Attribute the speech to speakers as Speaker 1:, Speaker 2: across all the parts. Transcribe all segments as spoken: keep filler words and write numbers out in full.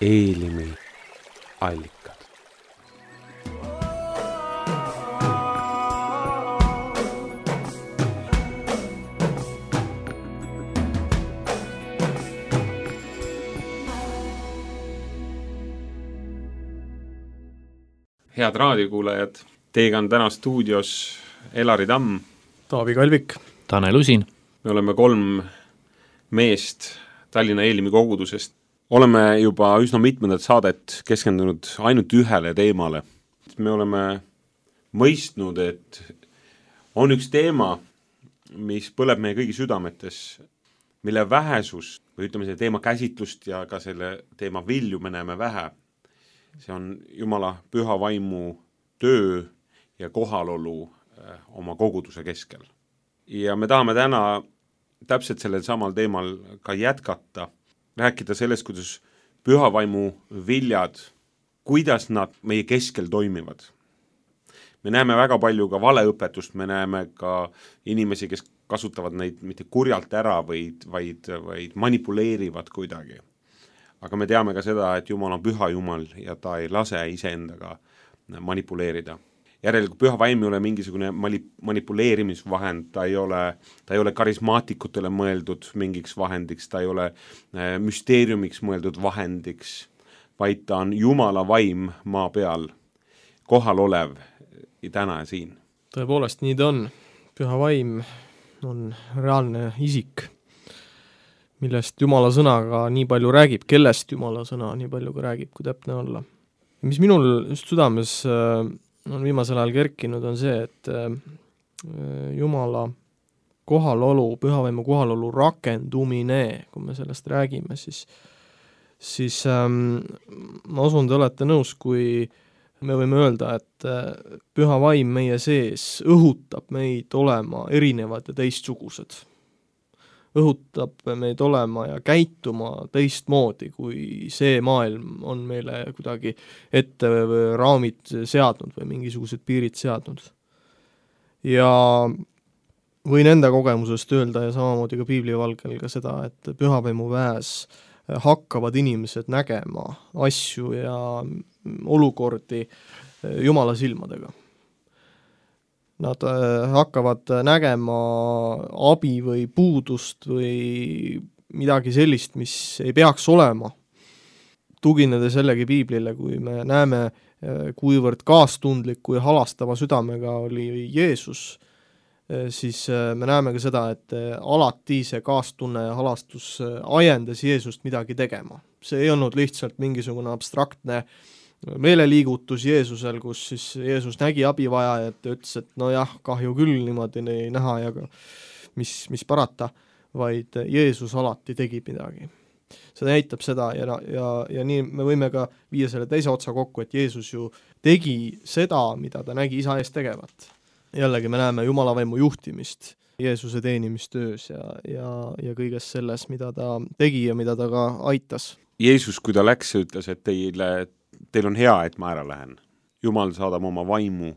Speaker 1: Eelimi allikad. Head raadiokuulajad, teiega on täna stuudios Elari Tamm,
Speaker 2: Taavi Kalvik,
Speaker 3: Tanel Usin.
Speaker 1: Me oleme kolm meest Tallinna Eelimi kogudusest. Oleme juba üsna mitmendat saadet keskendunud ainult ühele teemale. Me oleme mõistnud, et on üks teema, mis põleb meie kõigi südametes, mille vähesus, või ütleme selle teema käsitlust ja ka selle teema vilju me näeme vähe. See on Jumala püha vaimu töö ja kohalolu oma koguduse keskel. Ja me tahame täna täpselt sellel samal teemal ka jätkata, rääkida sellest, kuidas püha vaimu viljad, kuidas nad meie keskel toimivad. Me näeme väga palju ka valeõpetust, me näeme ka inimesi, kes kasutavad neid mitte kurjalt ära, vaid, vaid, vaid manipuleerivad kuidagi. Aga me teame ka seda, et Jumal on püha Jumal ja ta ei lase iseendaga manipuleerida. Järelikult püha vaim ei ole mingisugune manipuleerimisvahend, ta ei ole, ta ei ole karismaatikutele mõeldud mingiks vahendiks, ta ei ole müsteeriumiks mõeldud vahendiks, vaid ta on Jumala vaim maa peal, kohal olev täna ja siin.
Speaker 2: Tõepoolest, nii ta on. Püha vaim on reaalne isik, millest Jumala sõnaga nii palju räägib, kellest Jumala sõna nii palju ka räägib, kui täpne olla. Mis minul just südames on viimasel ajal kerkinud, on see, et Jumala kohalolu, pühavaimu kohalolu rakendumine, kui me sellest räägime, siis, siis ähm, ma usun, te olete nõus, kui me võime öelda, et püha vaim meie sees õhutab meid olema erinevad ja teistsugused. Õhutab meid olema ja käituma teistmoodi, kui see maailm on meile kuidagi ette või raamid seadnud või mingisugused piirid seadnud. Ja võin enda kogemusest öelda ja samamoodi ka piiblivalgel ka seda, et pühavaimu väes hakkavad inimesed nägema asju ja olukordi Jumala silmadega. Nad hakkavad nägema abi või puudust või midagi sellist, mis ei peaks olema. Tuginedes jällegi piiblile, kui me näeme, kuivõrd kaastundliku ja halastava südamega oli Jeesus, siis me näeme ka seda, et alati see kaastunne ja halastus ajendas Jeesust midagi tegema. See ei olnud lihtsalt mingisugune abstraktne meeleliigutus Jeesusel, kus siis Jeesus nägi abivajajat ja ütles, et no jah, kahju küll niimoodi ei näha ja mis, mis parata, vaid Jeesus alati tegi midagi. See näitab seda ja, ja, ja nii me võime ka viia selle teise otsa kokku, et Jeesus ju tegi seda, mida ta nägi isa ees tegevat. Jällegi me näeme Jumala vaimu juhtimist, Jeesuse teenimistöös ja, ja, ja kõiges selles, mida ta tegi ja mida ta ka aitas.
Speaker 1: Jeesus, kui ta läks, ütles, et teile Teil on hea, et ma ära lähen. Jumal saadab oma vaimu,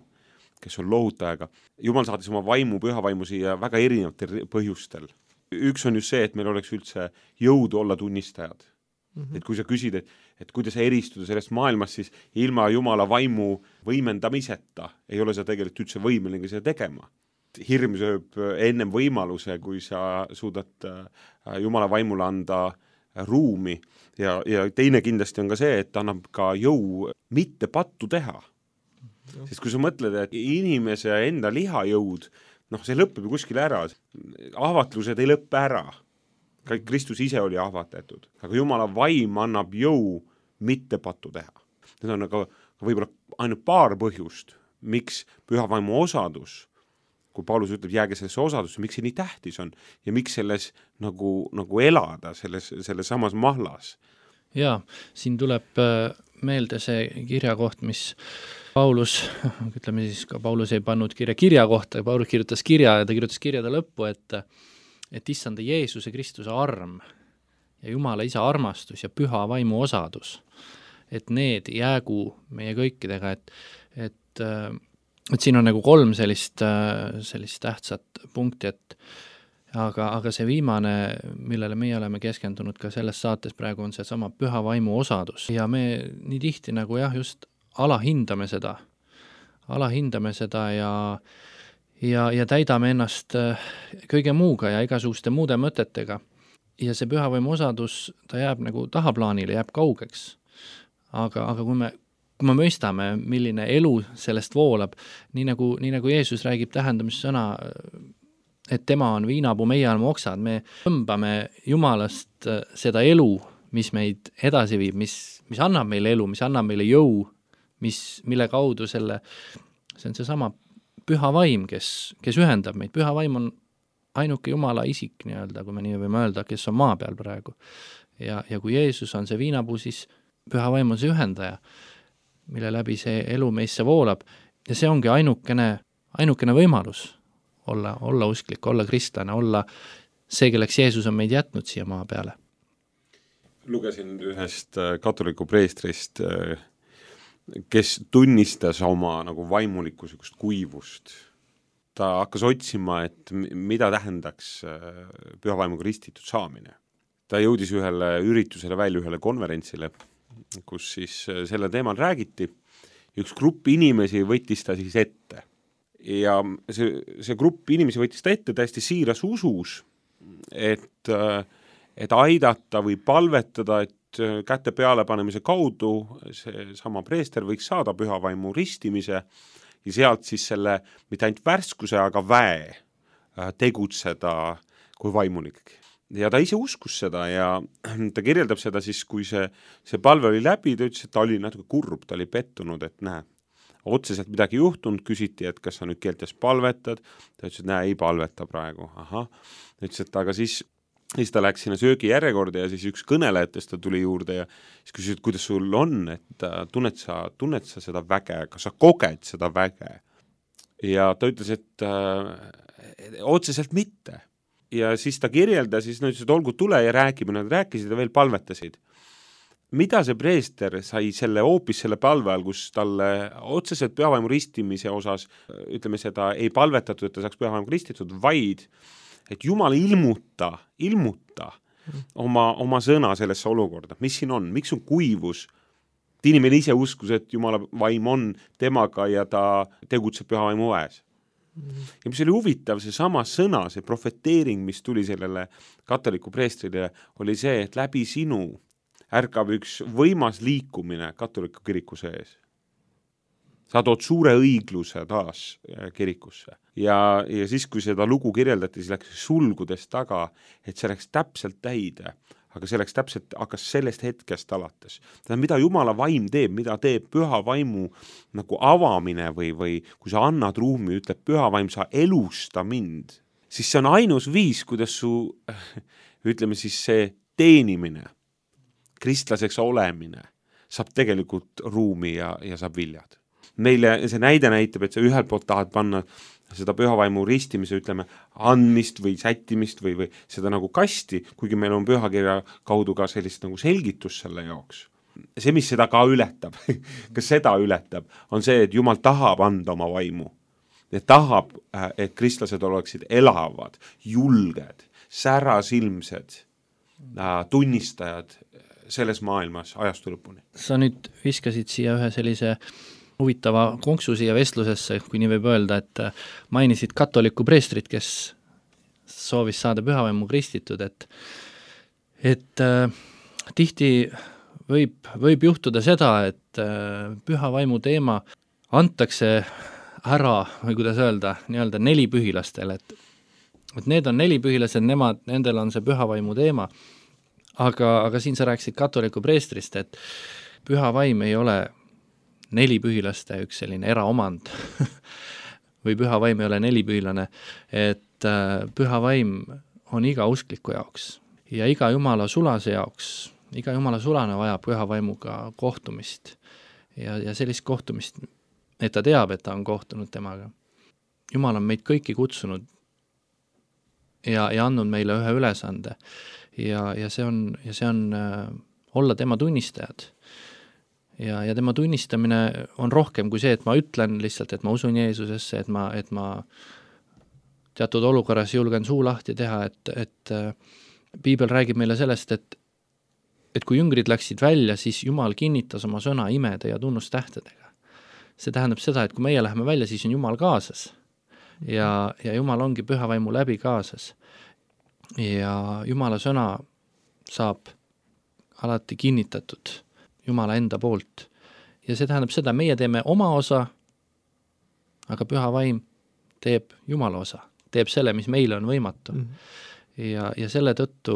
Speaker 1: kes on lohutajaga. Jumal saadis oma vaimu, püha vaimu siia väga erinevatel põhjustel. Üks on just see, et meil oleks üldse jõudu olla tunnistajad. Mm-hmm. Et kui sa küsid, et, et kuidas eristuda sellest maailmast, siis ilma Jumala vaimu võimendamiseta ei ole sa tegelikult üldse võimeline seda tegema. Hirm sööb ennem võimaluse, kui sa suudad Jumala vaimule anda ruumi ja, ja teine kindlasti on ka see, et annab ka jõu mitte pattu teha. Sest kui sa mõtled, et inimese enda lihajõud, noh, see lõpeb ju kuskil ära. Ahvatlused ei lõppe ära. Kristus ise oli ahvatletud. Aga Jumala vaim annab jõu mitte pattu teha. Need on aga võib-olla ainult paar põhjust, miks püha vaimu osadus, kui Paulus ütleb, jääge sellesse osadusse, miks see nii tähtis on ja miks selles nagu, nagu elada selles, selles samas mahlas.
Speaker 3: Jaa, siin tuleb meelde see kirjakoht, mis Paulus, ütleme siis ka Paulus ei pannud kirja kirja kohta, Paulus kirjutas kirja ja ta kirjutas kirjade lõppu, et, et issanda Jeesuse Kristuse arm ja Jumala isa armastus ja püha vaimu osadus, et need jäägu meie kõikidega, et, et et siin on nagu kolm sellist, sellist tähtsat punkti, et aga, aga see viimane, millele meie oleme keskendunud ka selles saates praegu, on see sama püha vaimu osadus. Ja me nii tihti nagu jah, just alahindame seda, alahindame seda ja, ja, ja täidame ennast kõige muuga ja igasuguste muude mõtetega. Ja see püha vaimu osadus, ta jääb nagu tahaplaanile, jääb kaugeks. Aga, aga kui me kui me mõistame, milline elu sellest voolab, nii nagu, nii nagu Jeesus räägib tähendamissõna, et tema on viinapuu, meie oleme oksad, me tõmbame Jumalast seda elu, mis meid edasi viib, mis, mis annab meile elu, mis annab meile jõu, mis, mille kaudu selle, see on see sama püha vaim, kes, kes ühendab meid. Püha vaim on ainuke Jumala isik, nii-öelda, kui me nii võime öelda, kes on maa peal praegu. Ja, ja kui Jeesus on see viinapuu, siis püha vaim on see ühendaja, mille läbi see elu meisse voolab ja see ongi ainukene, ainukene võimalus olla, olla usklik, olla kristlane, olla see, kelleks Jeesus on meid jätnud siia maa peale.
Speaker 1: Lugesin ühest katoliku preestrist, kes tunnistas oma nagu vaimulikkusest kuivust. Ta hakkas otsima, et mida tähendaks püha vaimuga ristitud saamine. Ta jõudis ühele üritusele välja, ühele konverentsile, kus siis selle teemal räägiti. Üks grupp inimesi võttis ta siis ette. Ja see, see grupp inimesi võttis ta ette täiesti siiras usus, et, et aidata või palvetada, et käte peale panemise kaudu see sama preester võiks saada püha vaimu ristimise ja sealt siis selle, mitte ainult värskuse, aga väe tegutseda kui vaimulik. Ja ta ise uskus seda ja ta kirjeldab seda siis, kui see, see palve oli läbi, ta ütles, et ta oli natuke kurb, ta oli pettunud, et näe, otseselt midagi juhtunud, küsiti, et kas sa nüüd keeltes palvetad, ta ütles, et näe, ei palveta praegu, aha, ta ütles, et aga siis, siis ta läks sinna söögi järjekorda ja siis üks kõnelejatest ta tuli juurde ja siis küsis, et kuidas sul on, et tunned sa, tunned sa seda väge, kas sa koged seda väge? Ja ta ütles, et äh, otseselt mitte. Ja siis ta kirjeldas, siis nad ütles, et olgu tule ja räägime, nad rääkisid ja veel palvetasid. Mida see preester sai selle hoopis selle palve all, kus talle otseselt pühavaimu ristimise osas, ütleme seda, ei palvetatud, et ta saaks pühavaimu ristitud, vaid et Jumal ilmuta, ilmuta oma, oma sõna sellesse olukorda. Mis siin on? Miks on kuivus? Inimene ise uskus, et Jumala vaim on temaga ja ta tegutseb pühavaimu väes. Ja mis oli huvitav, see sama sõna, see profeteering, mis tuli sellele katoliku preestrile, oli see, et läbi sinu ärkab üks võimas liikumine katoliku kiriku sees. Sa tood suure õigluse taas kirikusse. Ja, ja siis, kui seda lugu kirjeldati, siis läks sulgudes taga, et see läks täpselt täide, aga see läks täpselt, hakkas sellest hetkest alates. Tähendab, mida Jumala vaim teeb, mida teeb püha vaimu nagu avamine või, või kui sa annad ruumi, ütleb püha vaim, sa elusta mind, siis see on ainus viis, kuidas su, ütleme siis see teenimine, kristlaseks olemine, saab tegelikult ruumi ja, ja saab viljad. Meile see näide näitab, et sa ühelt poolt tahad panna seda pühavaimu ristimise, ütleme, andmist või sättimist või, või seda nagu kasti, kuigi meil on pühakirja kaudu ka sellist nagu selgitus selle jaoks. See, mis seda ka ületab, kas seda ületab, on see, et Jumal tahab anda oma vaimu. Ja tahab, et kristlased oleksid elavad, julged, särasilmsed, tunnistajad selles maailmas ajastu lõpuni.
Speaker 3: Sa nüüd viskasid siia ühe sellise huvitava konksu siia vestlusesse, kui nii võib öelda, et mainisid katoliku preestrit, kes soovis saada pühavaimu kristitud, et, et äh, tihti võib, võib juhtuda seda, et äh, pühavaimu teema antakse ära, või kuidas öelda, nii-öelda nelipühilastele, et, et need on nelipühilased, nemad, nendel on see pühavaimu teema, aga, aga siin sa rääkisid katoliku preestrist, et pühavaim ei ole nelipühilaste üks selline eraomand või pühavaim ei ole nelipühilane, et äh, pühavaim on iga uskliku jaoks ja iga Jumala sulase jaoks, iga Jumala sulane vajab pühavaimuga kohtumist ja, ja sellist kohtumist, et ta teab, et ta on kohtunud temaga. Jumal on meid kõiki kutsunud ja, ja andnud meile ühe ülesande ja, ja see on, ja see on äh, olla tema tunnistajad. Ja, ja tema tunnistamine on rohkem kui see, et ma ütlen lihtsalt, et ma usun Jeesusesse, et ma, et ma teatud olukorras julgen suu lahti teha, et, et piibel räägib meile sellest, et, et kui jüngrid läksid välja, siis Jumal kinnitas oma sõna imede ja tunnustähtedega. See tähendab seda, et kui meie läheme välja, siis on Jumal kaasas ja, ja Jumal ongi püha vaimu läbi kaasas. Ja Jumala sõna saab alati kinnitatud Jumala enda poolt. Ja see tähendab seda, meie teeme oma osa, aga püha vaim teeb Jumala osa, teeb selle, mis meile on võimatu. Mm. Ja, ja selle tõttu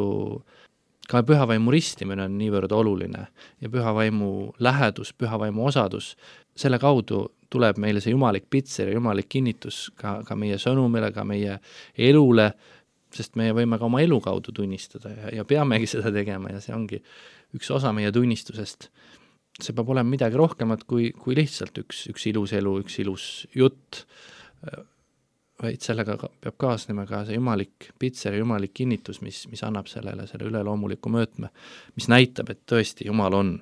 Speaker 3: ka püha vaimu ristimine on niivõrd oluline ja püha vaimu lähedus, püha vaimu osadus, selle kaudu tuleb meile see jumalik pitser ja jumalik kinnitus ka, ka meie sõnumile, ka meie elule, sest meie võime ka oma elu kaudu tunnistada ja, ja peamegi seda tegema ja see ongi üks osa meie tunnistusest. See peab olema midagi rohkemat kui, kui lihtsalt üks, üks ilus elu, üks ilus jutt, vaid sellega peab kaasnema ka see jumalik pitser ja jumalik kinnitus, mis, mis annab sellele selle üleloomuliku möötme, mis näitab, et tõesti Jumal on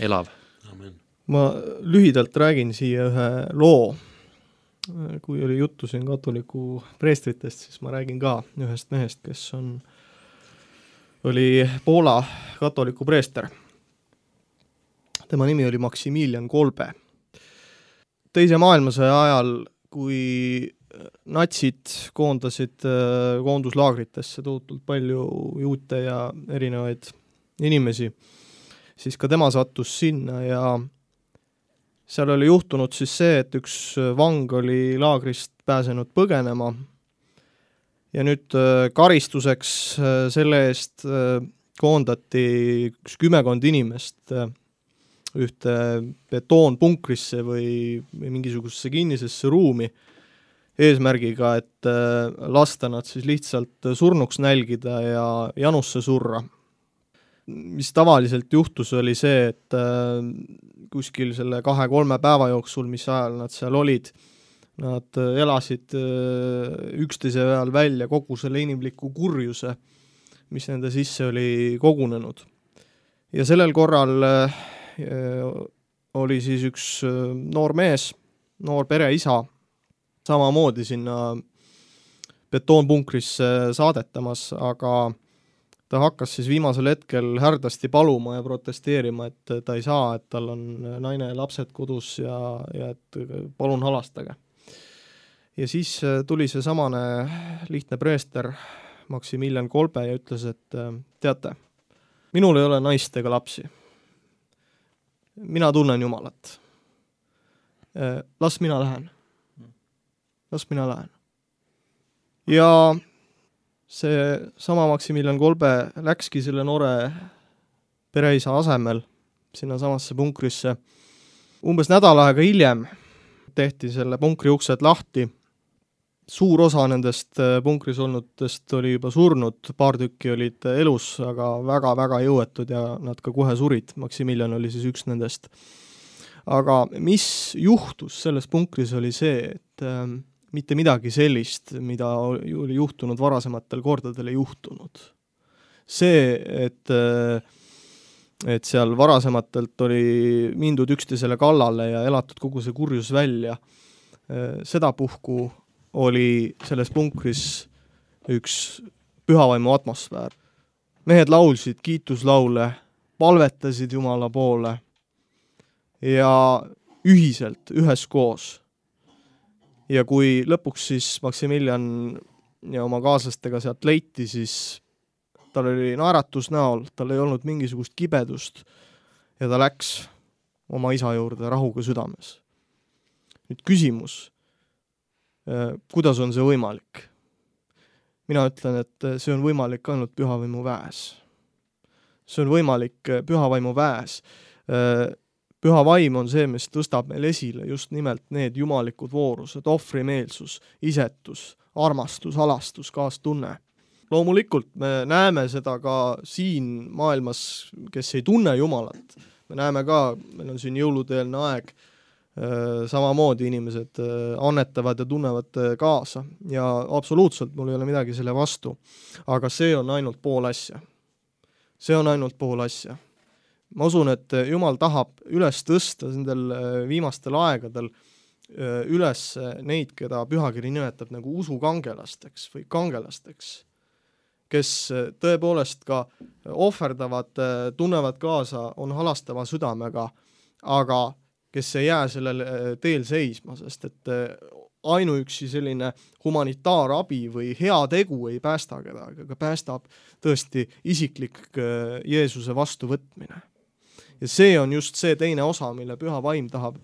Speaker 3: elav.
Speaker 1: Amen.
Speaker 2: Ma lühidalt räägin siia ühe loo. Kui oli juttu siin katoliku preestritest, siis ma räägin ka ühest mehest, kes on, oli Poola katoliku preester. Tema nimi oli Maximilian Kolbe. Teise maailmasõja ajal, kui natsid koondasid koonduslaagritesse tohutult palju juute ja erinevaid inimesi, siis ka tema sattus sinna ja seal oli juhtunud siis see, et üks vang oli laagrist pääsenud põgenema ja nüüd karistuseks selle eest koondati üks kümmekond inimest ühte betoonpunkrisse või, või mingisugusesse kinnisesse ruumi eesmärgiga, et lasta nad siis lihtsalt surnuks nälgida ja janusse surra. Mis tavaliselt juhtus oli see, et kuskil selle kahe-kolme päeva jooksul, mis ajal nad seal olid, nad elasid üksteise peal välja kogu selle inimliku kurjuse, mis nende sisse oli kogunenud. Ja sellel korral oli siis üks noor mees, noor pereisa, samamoodi sinna betoonpunkrisse saadetamas, aga ta hakkas siis viimasel hetkel härdasti paluma ja protesteerima, et ta ei saa, et tal on naine ja lapsed kodus ja, ja et palun halastage. Ja siis tuli see samane lihtne preester Maximilian Kolbe ja ütles, et teate, minul ei ole naist ega lapsi. Mina tunnen Jumalat. Las mina lähen. Las mina lähen. Ja see sama Maximilian Kolbe läkski selle noore pereisa asemel sinna samasse punkrisse. Umbes nädal aega hiljem tehti selle punkri uksed lahti. Suur osa nendest punkris olnutest oli juba surnud, paar tükki olid elus, aga väga-väga jõuetud ja nad ka kohe surid. Maximilian oli siis üks nendest. Aga mis juhtus selles punkris oli see, et äh, mitte midagi sellist, mida oli juhtunud varasematel kordadel ei juhtunud. See, et, et seal varasematelt oli mindud üksteisele kallale ja elatud kogu see kurjus välja, seda puhku oli selles punkris üks pühavaimu atmosfäär. Mehed laulsid kiituslaule, palvetasid Jumala poole ja ühiselt, üheskoos. Ja kui lõpuks siis Maximilian ja oma kaaslastega sealt leiti, siis tal oli naeratus näol, tal ei olnud mingisugust kibedust ja ta läks oma isa juurde rahuga südames. Nüüd küsimus, kuidas on see võimalik? Mina ütlen, et see on võimalik ainult pühavaimu väes. See on võimalik pühavaimu väes. Püha vaim on see, mis tõstab meil esile just nimelt need jumalikud voorused, ohvrimeelsus, isetus, armastus, halastus, kaastunne. Loomulikult me näeme seda ka siin maailmas, kes ei tunne Jumalat. Me näeme ka, meil on siin jõuluteelne aeg, samamoodi inimesed annetavad ja tunnevad kaasa ja absoluutselt mul ei ole midagi selle vastu, aga see on ainult pool asja. See on ainult pool asja. Ma usun, et Jumal tahab üles tõsta nendel viimastel aegadel üles neid, keda pühakiri nimetab nagu usukangelasteks või kangelasteks, kes tõepoolest ka ohverdavad, tunnevad kaasa, on halastava südamega, aga kes ei jää sellel teel seisma, sest et ainuüksi selline humanitaarabi või hea tegu ei päästa kedagi, aga päästab tõesti isiklik Jeesuse vastuvõtmine. Ja see on just see teine osa, mille püha vaim tahab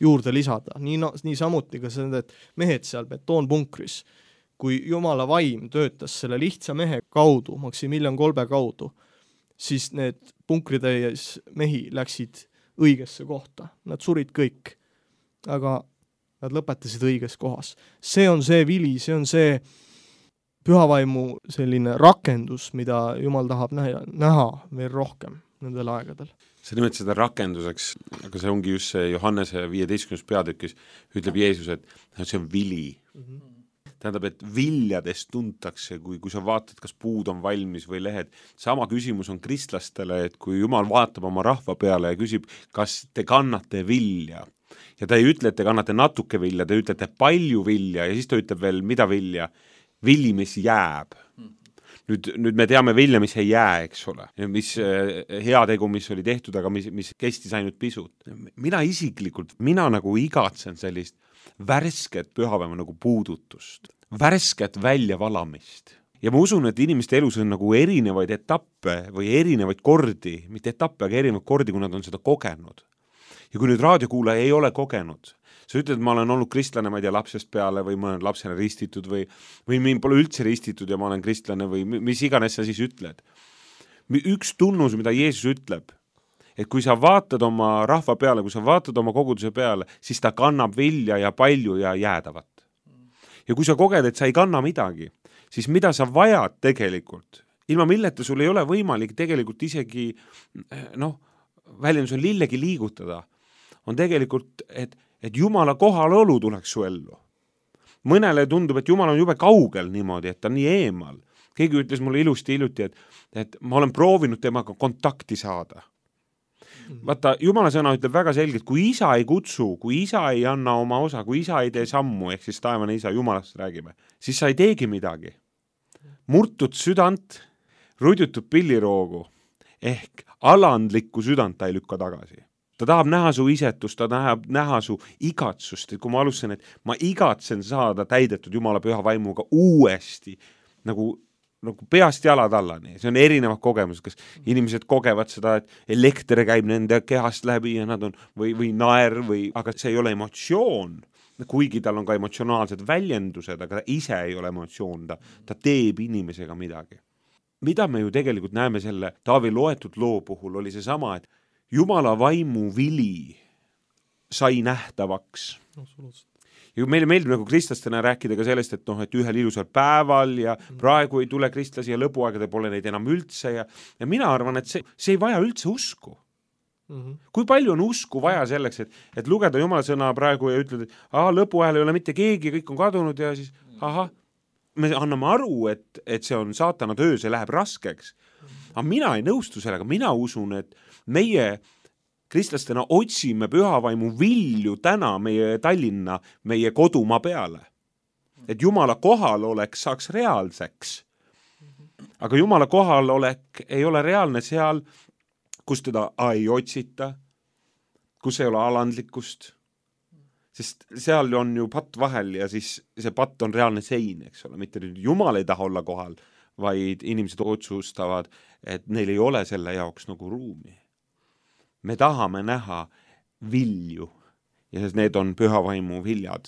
Speaker 2: juurde lisada. Nii, nii samuti ka need mehed seal betoonpunkris. Kui Jumala vaim töötas selle lihtsa mehe kaudu, Maximilian Kolbe kaudu, siis need punkritäies mehi läksid õigesse kohta. Nad surid kõik, aga nad lõpetasid õiges kohas. See on see vili, see on see pühavaimu selline rakendus, mida Jumal tahab näha, näha veel rohkem nendel aegadel.
Speaker 1: Sa nimed seda rakenduseks, aga see ongi just see Johannese viieteistkümnes peatükis, ütleb Jeesus, et see on vili. Mm-hmm. Tähendab, et viljadest tuntakse, kui, kui sa vaatad, kas puud on valmis või lehed. Sama küsimus on kristlastele, et kui Jumal vaatab oma rahva peale ja küsib, kas te kannate vilja. Ja ta ei ütle, et te kannate natuke vilja, te ütlete palju vilja ja siis ta ütleb veel, mida vilja? Villi, mis jääb. Nüüd, nüüd me teame vilja, mis ei jää, eks ole. Mis heategu, mis oli tehtud, aga mis, mis kestis ainult pisut. Mina isiklikult, mina nagu igatsen sellist värsket pühapäeva nagu puudutust. Värsket väljavalamist. Ja ma usun, et inimeste elus on nagu erinevaid etappe või erinevaid kordi, mitte etappe, aga erinevaid kordi, kui nad on seda kogenud. Ja kui nüüd raadiokuulaja ei ole kogenud, sa ütled, et ma olen olnud kristlane, ma ei tea, lapsest peale või ma olen lapsena ristitud või, või mind pole üldse ristitud ja ma olen kristlane või mis iganes sa siis ütled. Üks tunnus, mida Jeesus ütleb, et kui sa vaatad oma rahva peale, kui sa vaatad oma koguduse peale, siis ta kannab vilja ja palju ja jäädavat. Ja kui sa koged, et sa ei kanna midagi, siis mida sa vajad tegelikult? Ilma milleta sul ei ole võimalik tegelikult isegi, noh, väljendus on lillegi liigutada. On tegelikult, et, et Jumala kohalolu tuleks su ellu. Mõnele tundub, et Jumal on jube kaugel niimoodi, et ta on nii eemal. Keegi ütles mulle ilusti iluti, et, et ma olen proovinud temaga kontakti saada. Vaata, Jumala sõna ütleb väga selgelt, kui isa ei kutsu, kui isa ei anna oma osa, kui isa ei tee sammu, ehk siis taevane isa, Jumalast räägime, siis sa ei teegi midagi. Murtud südant, rudjutud pilliroogu, ehk alandlikku südant ta ei lükka tagasi. Ta tahab näha su isetust, ta tahab näha su igatsust, et kui ma alustasin, et ma igatsen saada täidetud Jumala püha vaimuga uuesti, nagu, nagu peast jalad allani. See on erinevad kogemused, kas inimesed kogevad seda, et elekter käib nende kehast läbi ja nad on, või, või naer, või, aga see ei ole emotsioon, kuigi tal on ka emotsionaalsed väljendused, aga ta ise ei ole emotsioon, ta, ta teeb inimesega midagi. Mida me ju tegelikult näeme selle Taavi loetud loo puhul, oli see sama, et Jumala vaimu vili sai nähtavaks. Ja meile meeldib nagu kristlastena rääkida ka sellest, et, noh, et ühel ilusal päeval ja praegu ei tule kristlasi ja lõpuaegade pole neid enam üldse ja, ja mina arvan, et see, see ei vaja üldse usku. Mm-hmm. Kui palju on usku vaja selleks, et, et lugeda Jumala sõna praegu ja ütled, et aha, lõpuajal ei ole mitte keegi, kõik on kadunud ja siis aha, me anname aru, et, et see on saatana töö, see läheb raskeks. Aga mina ei nõustu sellega, mina usun, et meie kristlastena otsime pühavaimu vilju täna meie Tallinna, meie kodumaa peale. Et Jumala kohalolek saaks reaalseks. Aga Jumala kohalolek ei ole reaalne seal, kus teda ei otsita, kus ei ole alandlikkust. Sest seal on ju patt vahel ja siis see patt on reaalne sein, eks ole, mitte nüüd Jumal ei taha olla kohal, vaid inimesed otsustavad, et neil ei ole selle jaoks nagu ruumi. Me tahame näha vilju ja need on pühavaimu viljad,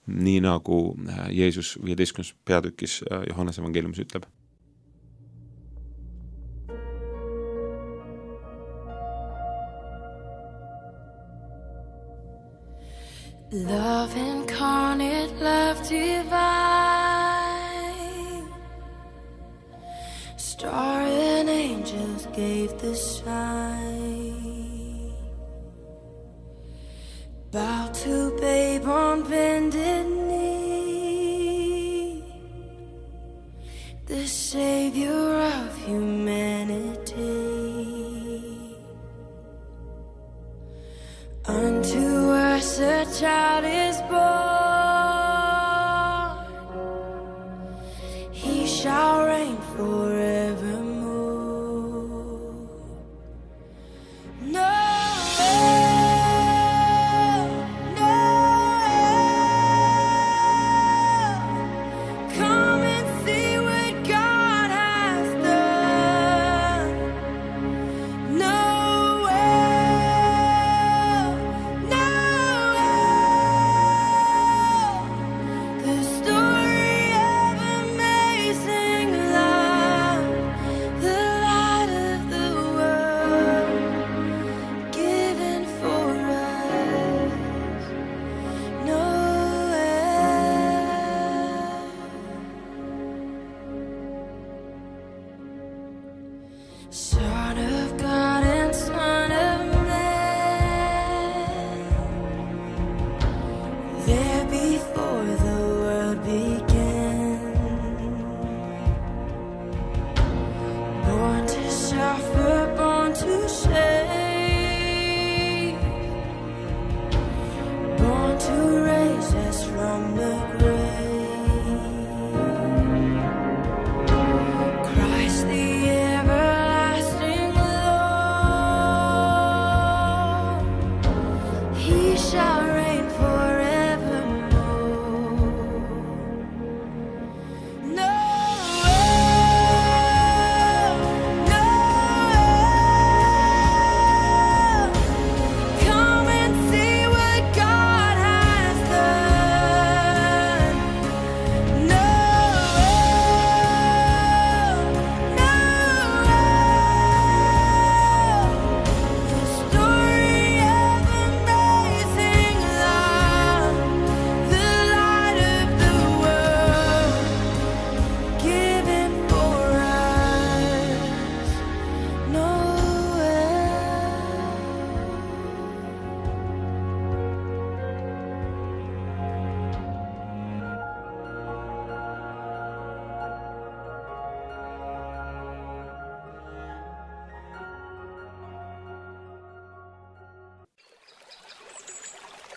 Speaker 1: nii nagu Jeesus viieteistkümnes peatükis Johannese evangeeliumis ütleb.
Speaker 4: Love incarnate, love divine, star and angels gave the sign. Bow to babe on bended knee, the Savior of humanity. Unto us a child is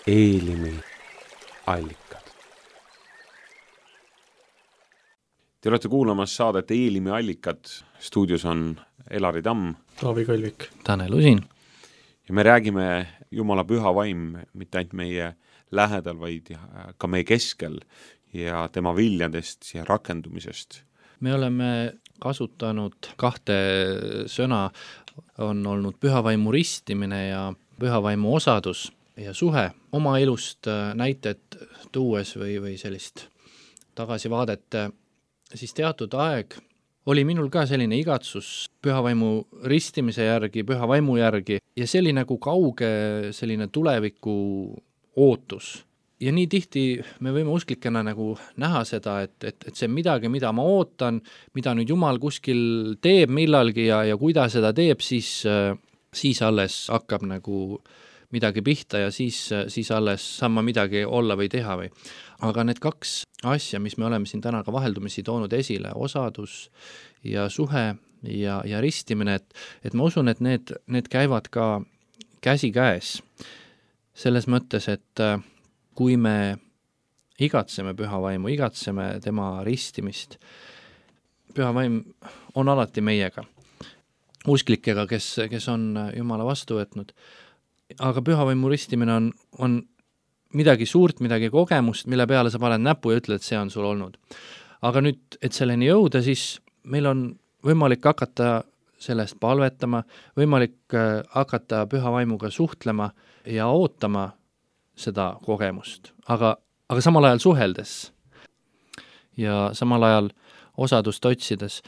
Speaker 1: Eelimi allikad. Te olete kuulamas saadet Eelimi allikad. Stuudios on Elari Tamm,
Speaker 2: Taavi Kalvik,
Speaker 3: Tanel Usin.
Speaker 1: Ja me räägime Jumala püha vaim mitte ainult meie lähedal, vaid ka meie keskel ja tema viljadest ja rakendumisest.
Speaker 3: Me oleme kasutanud kahte sõna, on olnud pühavaimu ristimine ja pühavaimu osadus ja suhe. Oma elust näited tuues või, või sellist tagasivaadet, siis teatud aeg oli minul ka selline igatsus pühavaimu ristimise järgi, pühavaimu järgi ja see oli nagu kauge selline tuleviku ootus. Ja nii tihti me võime usklikena nagu näha seda, et, et, et see midagi, mida ma ootan, mida nüüd Jumal kuskil teeb millalgi ja, ja kui ta seda teeb, siis, siis alles hakkab nagu midagi pihta ja siis, siis alles saan ma midagi olla või teha või. Aga need kaks asja, mis me oleme siin täna ka vaheldumisi toonud esile, osadus ja suhe ja, ja ristimine, et, et ma usun, et need, need käivad ka käsi käes. Selles mõttes, et kui me igatseme pühavaimu, igatseme tema ristimist, pühavaim on alati meiega, usklikega, kes, kes on Jumala vastu võtnud. Aga pühavaimu ristimine on, on midagi suurt, midagi kogemust, mille peale sa paned näpu ja ütled, et see on sul olnud. Aga nüüd, et selleni jõuda, siis meil on võimalik hakata sellest palvetama, võimalik hakata pühavaimuga suhtlema ja ootama seda kogemust, aga, aga samal ajal suheldes ja samal ajal osadust otsides,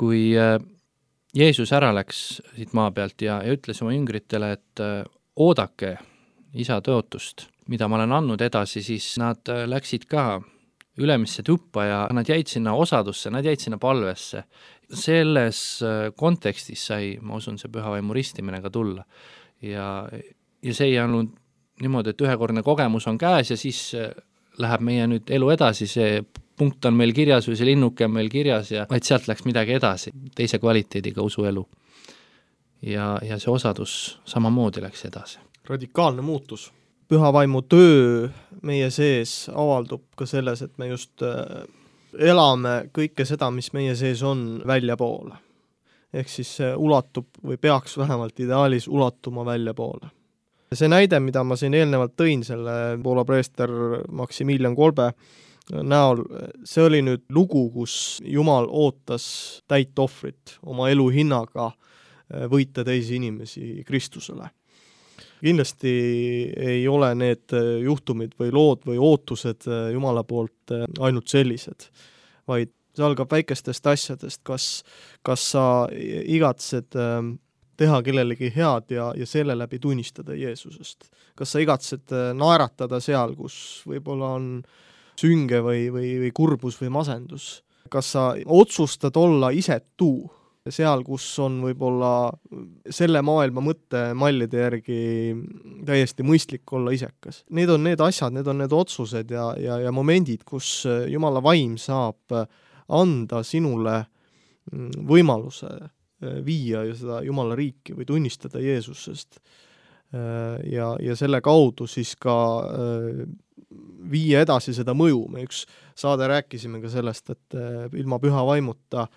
Speaker 3: kui Jeesus ära läks siit maa pealt ja, ja ütles oma jüngritele, et oodake isa tõotust, mida ma olen andnud edasi, siis nad läksid ka ülemisse tuppa ja nad jäid sinna osadusse, nad jäid sinna palvesse. Selles kontekstis sai, ma usun, see pühavaimu ristimine ka tulla ja, ja see ei olnud niimoodi, et ühekordne kogemus on käes ja siis läheb meie nüüd elu edasi, see punkt on meil kirjas või see linnuke on meil kirjas ja vaid sealt läks midagi edasi, teise kvaliteediga usuelu. Ja, ja see osadus samamoodi läks edasi.
Speaker 2: Radikaalne muutus. Pühavaimu töö meie sees avaldub ka selles, et me just elame kõike seda, mis meie sees on välja poole. Ehk siis ulatub või peaks vähemalt ideaalis ulatuma välja poole. See näide, mida ma siin eelnevalt tõin, selle Poola preester Maximilian Kolbe näol, see oli nüüd lugu, kus Jumal ootas täit ohvrit oma elu hinnaga võita teisi inimesi Kristusele. Kindlasti ei ole need juhtumid või lood või ootused Jumala poolt ainult sellised, vaid see algab väikestest asjadest, kas, kas sa igatsed teha kellelegi head ja, ja selle läbi tunnistada Jeesusest. Kas sa igatsed naeratada seal, kus võib-olla on sünge või, või, või kurbus või masendus? Kas sa otsustad olla isetu seal, kus on võib-olla selle maailma mõtte mallide järgi täiesti mõistlik olla isekas? Need on need asjad, need on need otsused ja, ja, ja momendid, kus Jumala vaim saab anda sinule võimaluse viia ja seda Jumala riiki või tunnistada Jeesusest ja, ja selle kaudu siis ka viia edasi seda mõju. Me üks saade rääkisime ka sellest, et ilma püha vaimuta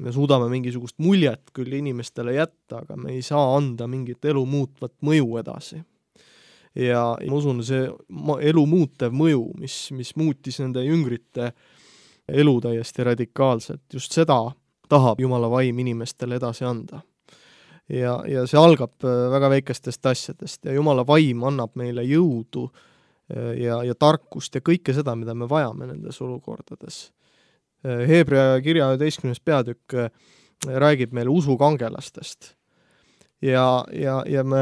Speaker 2: me suudame mingisugust muljet küll inimestele jätta, aga me ei saa anda mingit elu muutvat mõju edasi. Ja ma usun, see elu muutev mõju, mis, mis muutis nende jüngrite elu täiesti radikaalselt, just seda tahab Jumala vaim inimestele edasi anda. Ja, ja see algab väga väikestest asjadest ja Jumala vaim annab meile jõudu ja, ja tarkust ja kõike seda, mida me vajame nendes olukordades. Heebrea kirja üheteistkümnes peatükk räägib meile usukangelastest. Ja, ja, ja me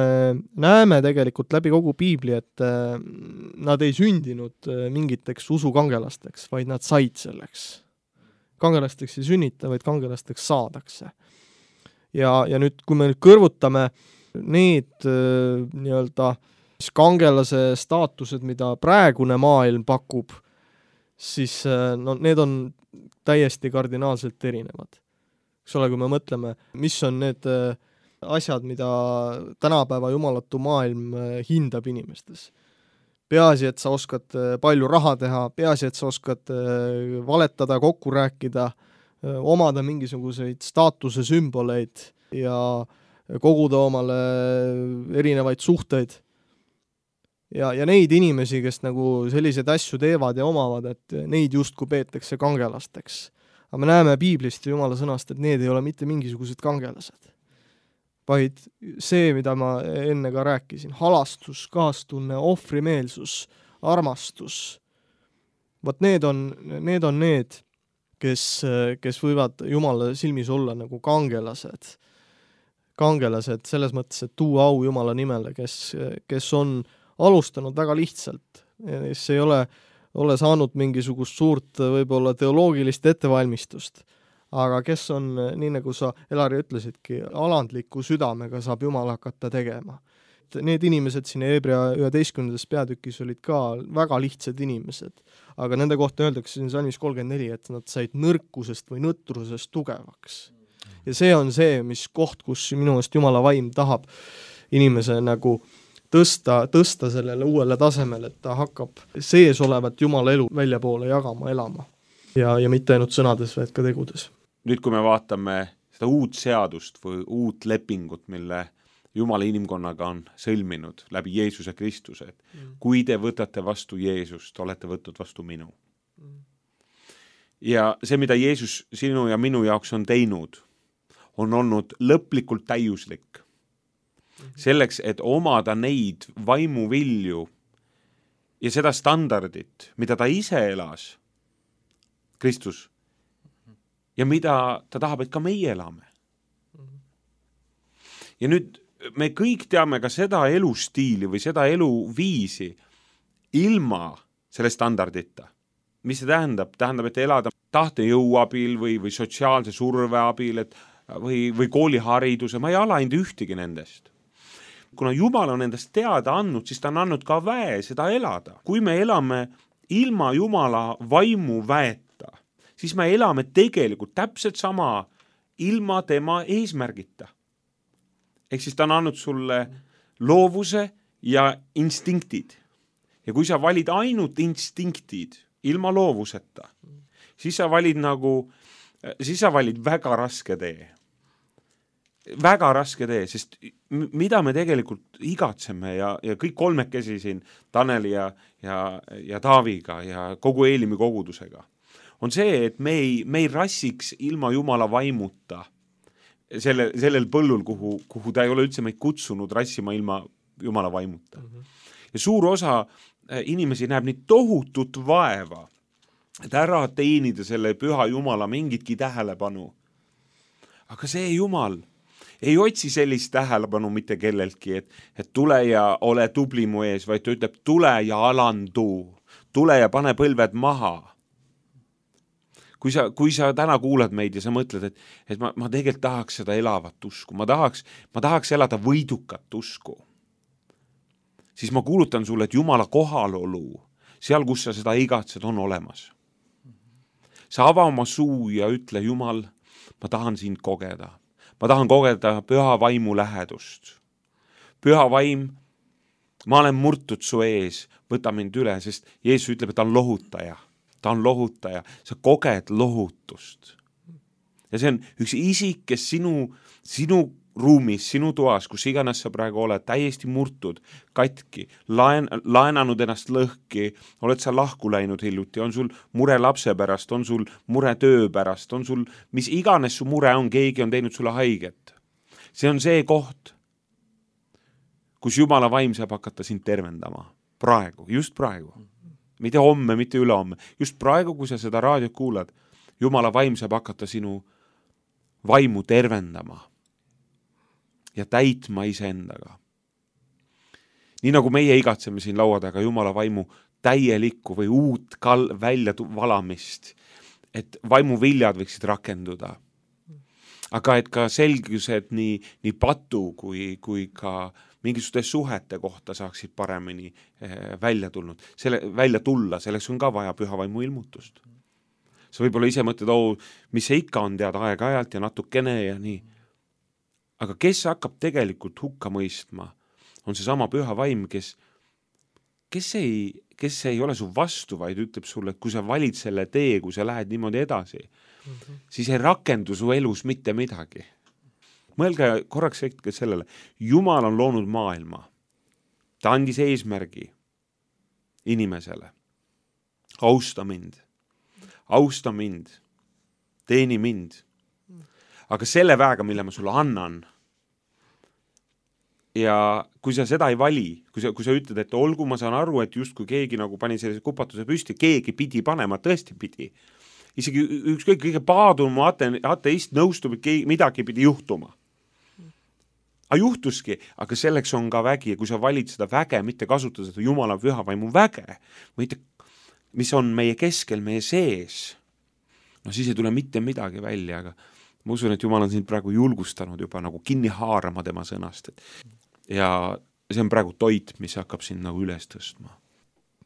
Speaker 2: näeme tegelikult läbi kogu Piibli, et nad ei sündinud mingiteks usukangelasteks, vaid nad said selleks. Kangelasteks ei sünnita, vaid kangelasteks saadakse. Ja, ja nüüd, kui me nüüd kõrvutame need äh, nii-öelda kangelase staatused, mida praegune maailm pakub, siis äh, no, need on täiesti kardinaalselt erinevad. Eks ole, kui me mõtleme, mis on need äh, asjad, mida tänapäeva jumalatu maailm äh, hindab inimestes. peaasi, et sa oskad palju raha teha, peaasi, et sa oskad valetada, kokku rääkida, omada mingisuguseid staatuse sümboleid ja koguda omale erinevaid suhteid. Ja, ja neid inimesi, kes nagu selliseid asju teevad ja omavad, et neid justkui peetakse kangelasteks. Aga me näeme Piiblist ja Jumala sõnast, et need ei ole mitte mingisugused kangelased, vaid see, mida ma enne ka rääkisin, halastus, kaastunne, ohvrimeelsus, armastus. Vot need on need, on need kes, kes võivad Jumala silmis olla nagu kangelased. Kangelased selles mõttes, et tuua au Jumala nimele, kes, kes on alustanud väga lihtsalt. See ei ole ole saanud mingisugust suurt võib-olla teoloogilist ettevalmistust, aga kes on, nii nagu sa, Elari, ütlesidki, alandliku südamega saab Jumal hakata tegema. Need inimesed siin Hebrea üheteistkümnendas peatükis olid ka väga lihtsad inimesed, aga nende kohta öeldakse siin salmis kolmkümmend neli, et nad said nõrkusest või nõtrusest tugevaks. Ja see on see, mis koht, kus minu eest Jumala vaim tahab inimese nagu tõsta, tõsta sellele uuele tasemele, et ta hakkab sees olevat Jumala elu väljapoole jagama, elama. Ja, ja mitte ainult sõnades, vaid ka tegudes.
Speaker 1: Nüüd, kui me vaatame seda uut seadust või uut lepingut, mille Jumala inimkonnaga on sõlminud läbi Jeesuse Kristuse, et mm. kui te võtate vastu Jeesust, olete võtnud vastu minu. Mm. Ja see, mida Jeesus sinu ja minu jaoks on teinud, on olnud lõplikult täiuslik. Selleks, et omada neid vaimuvilju ja seda standardit, mida ta ise elas, Kristus, ja mida ta tahab, et ka meie elame. Ja nüüd me kõik teame ka seda elustiili või seda eluviisi ilma selle standardita. Mis see tähendab? Tähendab, et elada tahtejõu abil või, või sotsiaalse surve abil et, või, või koolihariduse, ma ei ala ainult ühtegi nendest. Kuna Jumal on endast teada andnud, siis ta on andnud ka väe seda elada. Kui me elame ilma Jumala vaimu väeta, siis me elame tegelikult täpselt sama ilma tema eesmärgita. Ehk siis ta on andnud sulle loovuse ja instinktid. Ja kui sa valid ainult instinktid ilma loovuseta, siis sa valid nagu, siis sa valid väga raske tee. Väga raske tee, sest mida me tegelikult igatseme ja, ja kõik kolmekesi siin Taneli ja, ja, ja Taaviga ja kogu Eelimi kogudusega, on see, et me ei, me ei rassiks ilma Jumala vaimuta selle, sellel põllul, kuhu, kuhu ta ei ole üldse meid kutsunud rassima ilma Jumala vaimuta. Mm-hmm. Ja suur osa inimesi näeb nii tohutut vaeva, et ära teenida selle püha Jumala mingitki tähelepanu. Aga see Jumal ei otsi sellist tähelepanu mitte kelleltki, et, et tule ja ole tubli mu ees, vaid ta ütleb, tule ja alandu, tule ja pane põlved maha. Kui sa, kui sa täna kuulad meid ja sa mõtled, et, et ma, ma tegelikult tahaks seda elavat usku, ma tahaks, ma tahaks elada võidukat usku, siis ma kuulutan sulle, et Jumala kohalolu, seal, kus sa seda igatsed, on olemas. Sa ava oma suu ja ütle, Jumal, ma tahan sind kogeda. Ma tahan kogeda püha vaimu lähedust. Püha vaim, ma olen murtud su ees, võta mind üle, sest Jeesus ütleb, et ta on lohutaja. Ta on lohutaja. Sa koged lohutust. Ja see on üks isik, kes sinu, sinu ruumis, sinu toas, kus iganes sa praegu oled, täiesti murtud, katki, laen, laenanud ennast lõhki, oled sa lahku läinud hiljuti, on sul mure lapse pärast, on sul mure töö pärast, on sul, mis iganes su mure on, keegi on teinud sulle haiget. See on see koht, kus Jumala vaim saab hakata sind tervendama. Praegu, just praegu. Mitte homme, mitte ülehomme. Just praegu, kui sa seda raadiot kuulad, Jumala vaim saab hakata sinu vaimu tervendama ja täitma iseendaga. Nii nagu meie igatseme siin laua taga Jumala vaimu täielikku või uut kal- välja valamist, et vaimu viljad võiksid rakenduda. Aga et ka selgused nii, nii patu kui, kui ka mingisuguste suhete kohta saaksid paremini eh, välja tulnud. Selle, välja tulla, selleks on ka vaja püha vaimu ilmutust. Sa võib-olla ise mõtled, oh, mis see ikka on teada aeg-ajalt ja natukene ja nii. Aga kes hakkab tegelikult hukka mõistma, on see sama püha vaim, kes, kes ei, kes ei ole su vastu, vaid ütleb sulle, et kui sa valid selle tee, kui sa lähed niimoodi edasi, mm-hmm. siis ei rakendu su elus mitte midagi. Mõelge korraks hetke sellele, Jumal on loonud maailma. Ta andis eesmärgi inimesele. Austa mind. Austa mind. Teeni mind. Aga selle väega, mille ma sulle annan, ja kui sa seda ei vali, kui sa, kui sa ütled, et olgu, ma saan aru, et just kui keegi nagu pani sellise kupatuse püsti, keegi pidi panema, tõesti pidi. Isegi ükskõik kõige paadum ate, ateist nõustub, et keegi, midagi pidi juhtuma. A juhtuski, aga selleks on ka vägi ja kui sa valid seda väge, mitte kasutada seda Jumala pühavaimu väge, mitte, mis on meie keskel, meie sees, no siis ei tule mitte midagi välja, aga ma usun, et Jumal on sind praegu julgustanud juba nagu kinni haarama tema sõnast. Ja see on praegu toit, mis hakkab sind nagu üles tõstma.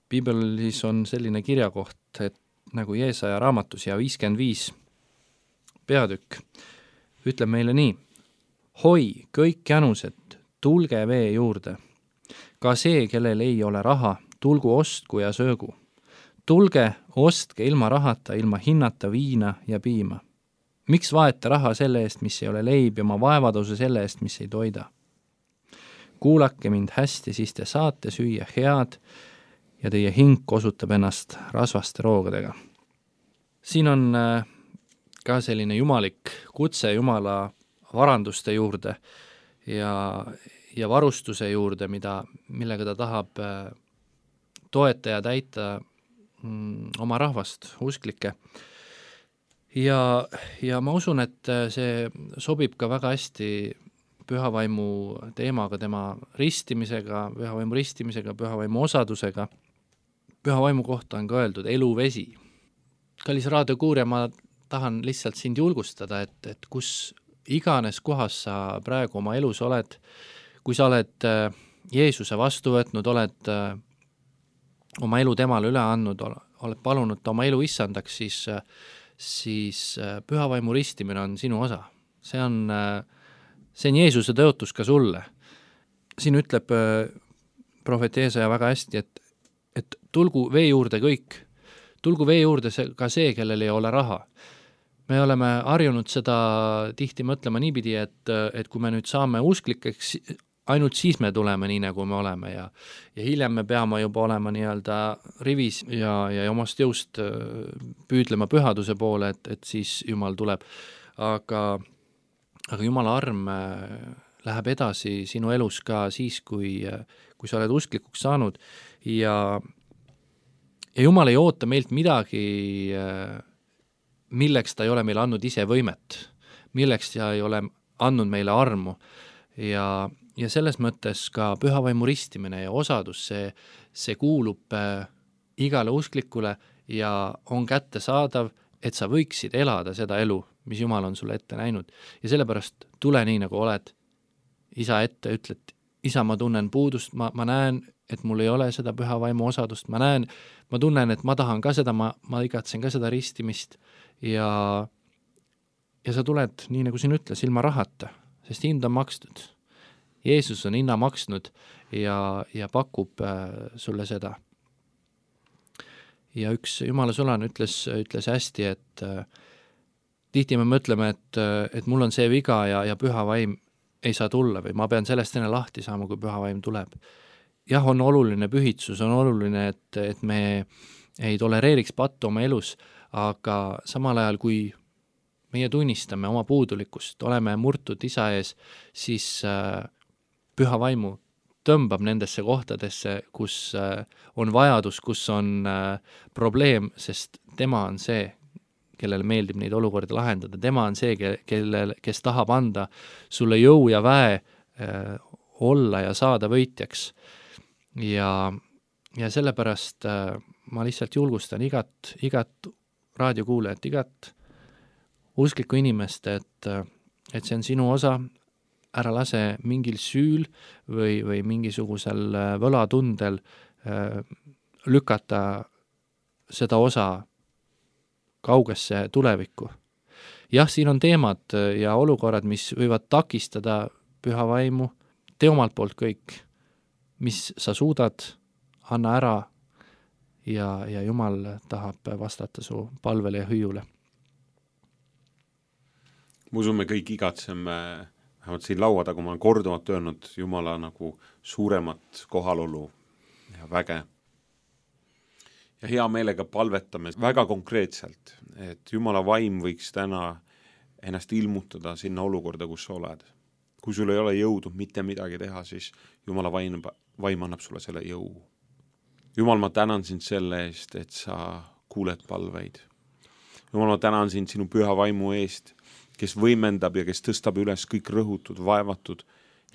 Speaker 3: Piibelis on selline kirjakoht, et nagu Jeesaja raamatus ja viiskümmend viis peatükk ütleb meile nii: hoi, kõik jänused, tulge vee juurde. Ka see, kellel ei ole raha, tulgu ostku ja söögu. Tulge, ostke ilma rahata, ilma hinnata viina ja piima. Miks vaete raha selle eest, mis ei ole leib, ja ma vaevaduse selle eest, mis ei toida? Kuulake mind hästi, siis te saate süüa head ja teie hing osutab ennast rasvaste roogadega. Siin on ka selline jumalik kutse Jumala varanduste juurde ja, ja varustuse juurde, mida, millega ta tahab toeta ja täita mm, oma rahvast, usklikke. Ja, ja ma usun, et see sobib ka väga hästi pühavaimu teemaga, tema ristimisega, pühavaimu ristimisega, pühavaimu osadusega. Pühavaimu kohta on ka öeldud eluvesi. Kallis raadiokuurja, ma tahan lihtsalt sind julgustada, et, et kus iganes kohas sa praegu oma elus oled, kui sa oled Jeesuse vastu võtnud, oled oma elu temale üle andnud, oled palunud ta oma elu issandaks, siis, siis pühavaimu ristimine on sinu osa. See on, see on Jeesuse tõotus ka sulle. Siin ütleb prohvet Jeesaja väga hästi, et, et tulgu vee juurde kõik, tulgu vee juurde see, ka see, kellel ei ole raha. Me oleme harjunud seda tihti mõtlema niipidi, et, et kui me nüüd saame usklikeks, ainult siis me tuleme nii, nagu me oleme ja, ja hiljem me peame juba olema nii-öelda rivis ja, ja omast jõust püüdlema pühaduse poole, et, et siis Jumal tuleb. Aga, aga Jumala arm läheb edasi sinu elus ka siis, kui, kui sa oled usklikuks saanud ja, ja Jumal ei oota meilt midagi milleks ta ei ole meile andnud ise võimet, milleks ta ei ole andnud meile armu ja, ja selles mõttes ka pühavaimu ristimine ja osadus, see, see kuulub äh, igale usklikule ja on kättesaadav, et sa võiksid elada seda elu, mis Jumal on sulle ette näinud ja sellepärast tule nii, nagu oled isa ette, ütled, isa, ma tunnen puudust, ma, ma näen, et mul ei ole seda pühavaimu osadust, ma näen, ma tunnen, et ma tahan ka seda, ma, ma igatsen ka seda ristimist ja, ja sa tuled, nii nagu siin ütles, ilma rahata, sest hind on makstud. Jeesus on hinna maksnud ja, ja pakub äh, sulle seda. Ja üks Jumala sõlan ütles, ütles hästi, et äh, tihti me mõtleme, et, et mul on see viga ja, ja pühavaim ei saa tulla või ma pean sellest enne lahti saama, kui pühavaim tuleb. Jah, on oluline pühitsus, on oluline, et, et me ei tolereeriks pattu oma elus, aga samal ajal, kui meie tunnistame oma puudulikkust, oleme murtud isa ees, siis äh, püha vaimu tõmbab nendesse kohtadesse, kus äh, on vajadus, kus on äh, probleem, sest tema on see, kellele meeldib neid olukorda lahendada, tema on see, kellel, kes tahab anda sulle jõu ja väe äh, olla ja saada võitjaks. Ja, ja sellepärast äh, ma lihtsalt julgustan igat, igat raadiokuulajat, igat usklikku inimest, et, et see on sinu osa, ära lase mingil süül või, või mingisugusel võlatundel äh, lükata seda osa kaugesse tulevikku. Jah, siin on teemad ja olukorrad, mis võivad takistada püha vaimu, tee omalt poolt kõik, mis sa suudad, anna ära ja, ja Jumal tahab vastata su palvele ja hüüule.
Speaker 1: Ma usun, me kõik igatseme, vähemalt siin laua taga ma olen korduvalt öelnud Jumala nagu suuremat kohalolu ja väge. Ja hea meelega palvetame väga konkreetselt, et Jumala vaim võiks täna ennast ilmutada sinna olukorda, kus sa oled. Kui sul ei ole jõudu mitte midagi teha, siis Jumala vaim, vaim annab sulle selle jõu. Jumal, ma tänan sind selle eest, et sa kuuled palveid. Jumal, ma tänan sind sinu püha vaimu eest, kes võimendab ja kes tõstab üles kõik rõhutud, vaevatud,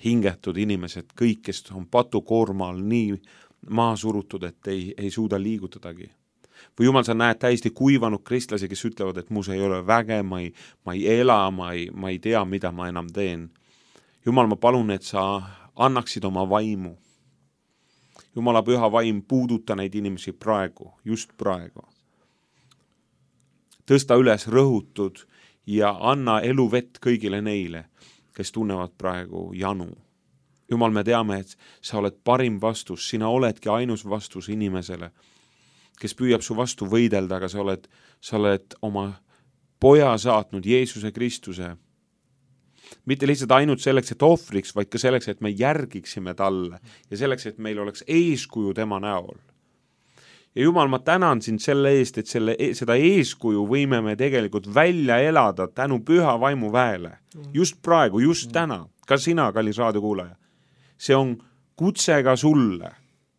Speaker 1: hingetud inimesed, kõik, kes on patukoormal nii maa surutud, et ei, ei suuda liigutadagi. Või Jumal, sa näed täiesti kuivanud kristlasi, kes ütlevad, et mus ei ole väge, ma ei, ma ei ela, ma ei, ma ei tea, mida ma enam teen. Jumal, ma palun, et sa annaksid oma vaimu. Jumala püha vaim, puuduta neid inimesi praegu, just praegu. Tõsta üles rõhutud ja anna eluvett kõigile neile, kes tunnevad praegu janu. Jumal, me teame, et sa oled parim vastus, sina oledki ainus vastus inimesele, kes püüab su vastu võidelda, aga sa oled, sa oled oma poja saatnud, Jeesuse Kristuse. Mitte lihtsalt ainult selleks, et ohvriks, vaid ka selleks, et me järgiksime talle ja selleks, et meil oleks eeskuju tema näol. Ja Jumal, ma tänan sind selle eest, et selle, seda eeskuju võime me tegelikult välja elada tänu püha vaimu väele. Just praegu, just täna, ka sina, kallis raadiokuulaja. See on kutse ka sulle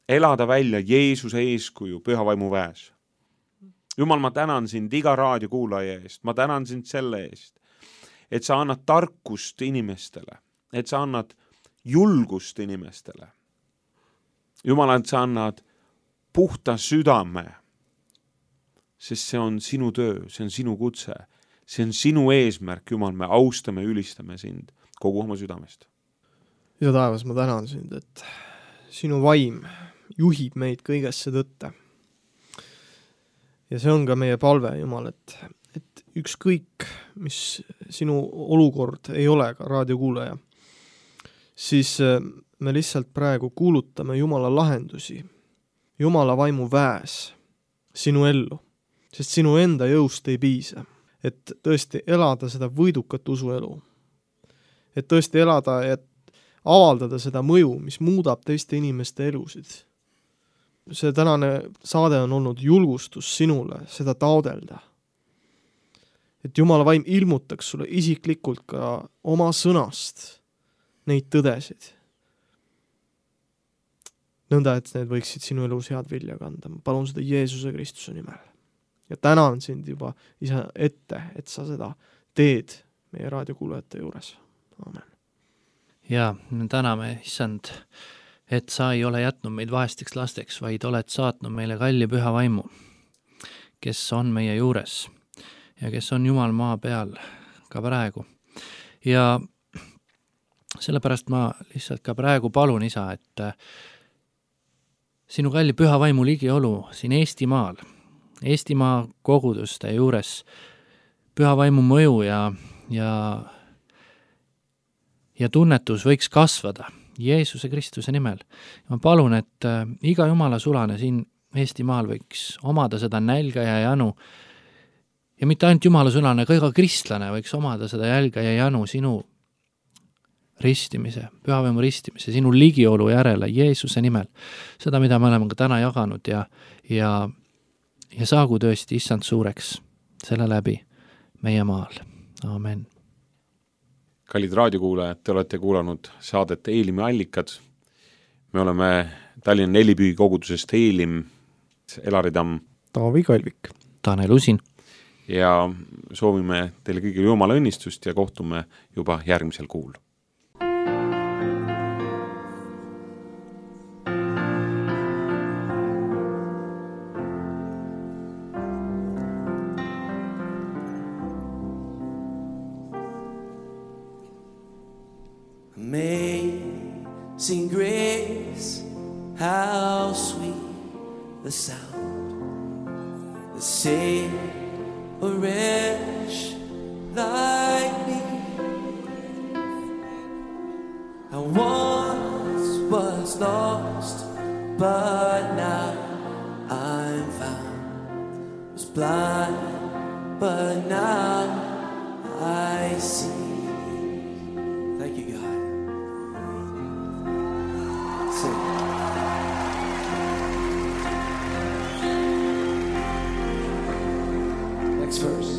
Speaker 1: elada välja Jeesuse eeskuju püha vaimu väes. Jumal, ma tänan sind iga raadiokuulaja eest, ma tänan sind selle eest, et sa annad tarkust inimestele, et sa annad julgust inimestele. Jumal, et sa annad puhta südame, sest see on sinu töö, see on sinu kutse, see on sinu eesmärk, Jumal, me austame, ülistame sind kogu oma südamest.
Speaker 2: Ja taevas, ma tänan sind, et sinu vaim juhib meid kõigesse tõtte. Ja see on ka meie palve, Jumal, et, et ükskõik, mis sinu olukord ei ole ka raadiokuulaja, siis me lihtsalt praegu kuulutame Jumala lahendusi, Jumala vaimu väes sinu ellu, sest sinu enda jõust ei piisa, et tõesti elada seda võidukat usuelu, et tõesti elada, et avaldada seda mõju, mis muudab teiste inimeste elusid. See tänane saade on olnud julgustus sinule seda taodelda. Et Jumala vaim ilmutaks sulle isiklikult ka oma sõnast neid tõdesid. Nõnda, et need võiksid sinu elus head vilja kanda. Ma palun seda Jeesuse Kristuse nimel. Ja tänan sind juba isa ette, et sa seda teed meie raadiokuulajate juures. Amen.
Speaker 3: Ja me täname, issand, et sa ei ole jätnud meid vaesteks lasteks, vaid oled saatnud meile kalli püha vaimu, kes on meie juures ja kes on Jumal maa peal ka praegu. Ja sellepärast ma lihtsalt ka praegu palun, isa, et sinu kalli püha vaimu ligiolu siin Eestimaal, Eestimaa koguduste juures püha vaimu mõju ja, ja ja tunnetus võiks kasvada Jeesuse Kristuse nimel. Ma palun, et iga Jumala sulane siin Eestimaal võiks omada seda nälga ja janu ja mitte ainult Jumala sulane, ka iga kristlane võiks omada seda jälga ja janu sinu ristimise, pühavaimu ristimise, sinu ligiolu järele Jeesuse nimel. Seda, mida me oleme ka täna jaganud ja, ja, ja saagu tõesti issand suureks selle läbi meie maal. Amen.
Speaker 1: Kallid raadiokuulajad, te olete kuulanud saadet Eelimi allikad. Me oleme Tallinna Nelipühi kogudusest Eelim, Elari Tamm,
Speaker 2: Taavi Kalvik,
Speaker 3: Tanel Usin
Speaker 1: ja soovime teile kõigile Jumala õnnistust ja kohtume juba järgmisel kuul.
Speaker 5: Amazing grace, how sweet the sound that saved a wretch like me. I once was lost, but now I'm found. Was blind, but now I see. Thank you, God. Sing. Next verse.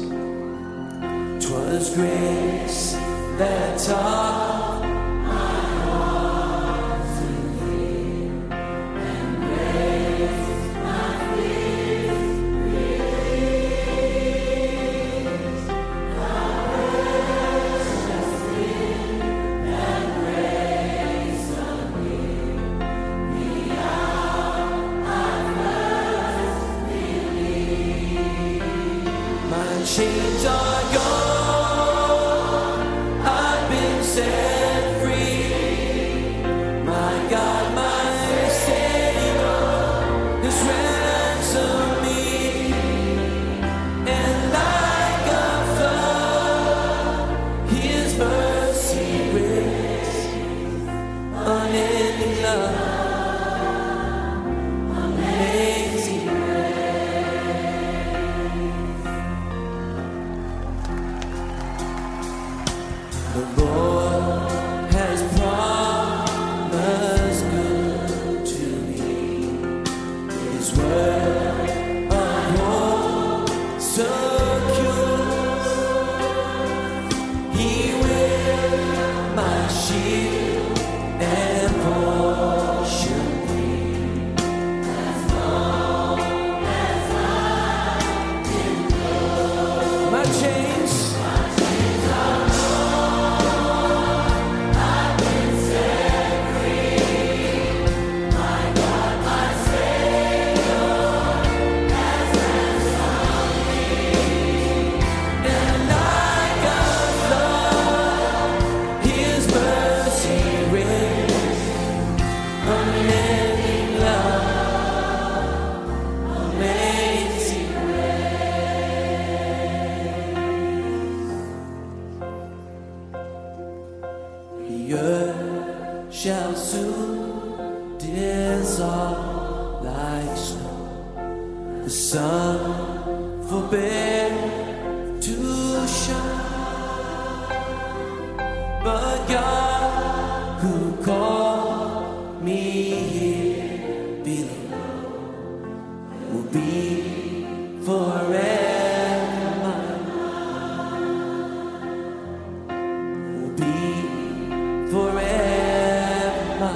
Speaker 5: 'Twas grace that taught my heart to fear, and grace my fears released. How precious thing that grace appeared the hour I first believed. My chains are gone. Set free, my God, my Savior has ransomed me, and like a flood, His mercy grace, unending love, amazing grace. The Lord shall soon dissolve like snow. The sun forbear to shine, but God who called me here below will be forever mine, will be forever.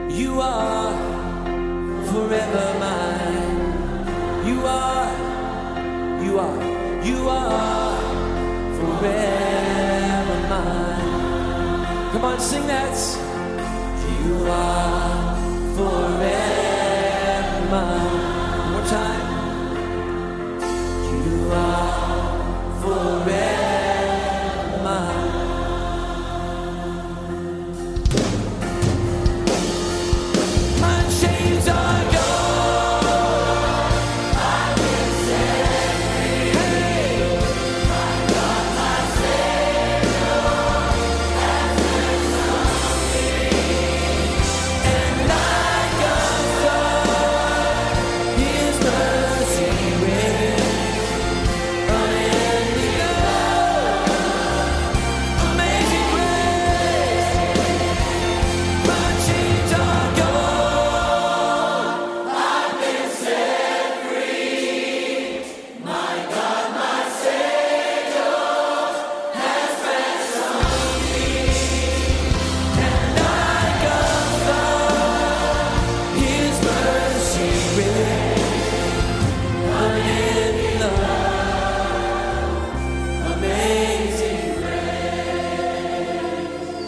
Speaker 5: You are forever mine. You are, you are, you are forever mine. Come on, sing that. You are forever mine. One more time. You are forever mine.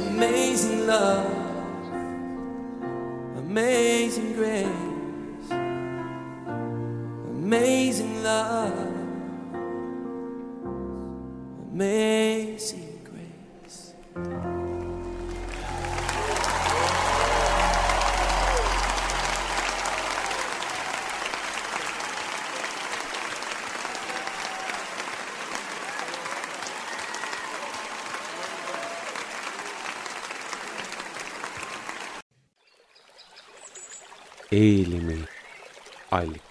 Speaker 5: Amazing love, amazing grace, amazing love, amazing grace.
Speaker 1: Eelimi allikas.